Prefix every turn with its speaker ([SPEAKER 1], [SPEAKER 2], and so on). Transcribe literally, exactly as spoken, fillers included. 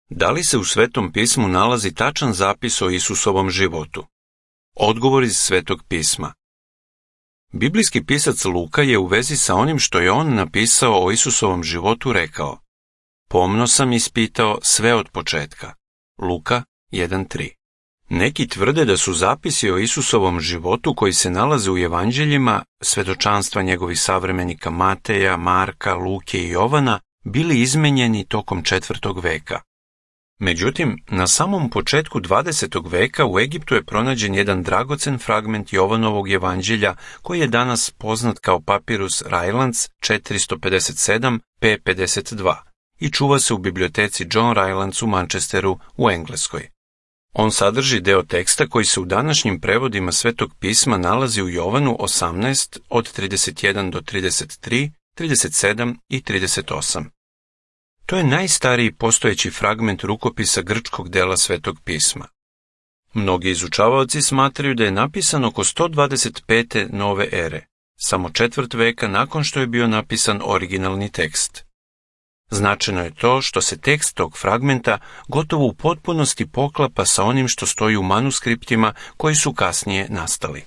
[SPEAKER 1] Da li se u Svetom pismu nalazi tačan zapis o Isusovom životu? Odgovor iz Svetog pisma. Biblijski pisac Luka je u vezi sa onim što je on napisao o Isusovom životu rekao: pomno sam ispitao sve od početka. Luka jedan tri. Neki tvrde da su zapisi o Isusovom životu koji se nalaze u evanđeljima, svedočanstva njegovih savremenika Mateja, Marka, Luke i Jovana, bili izmenjeni tokom četvrtog veka. Međutim, na samom početku dvadesetog veka u Egiptu je pronađen jedan dragocen fragment Jovanovog evanđelja koji je danas poznat kao Papirus Rylands četiristo pedeset sedam pe pedeset dva i čuva se u biblioteci John Rylands u Manchesteru u Engleskoj. On sadrži deo teksta koji se u današnjim prevodima Svetog pisma nalazi u Jovanu osamnaest od trideset jedan do trideset tri, trideset sedam i trideset osam. To je najstariji postojeći fragment rukopisa grčkog dela Svetog pisma. Mnogi izučavaoci smatraju da je napisan oko sto dvadeset pete nove ere, samo četvrt veka nakon što je bio napisan originalni tekst. Značajno je to što se tekst tog fragmenta gotovo u potpunosti poklapa sa onim što stoji u manuskriptima koji su kasnije nastali.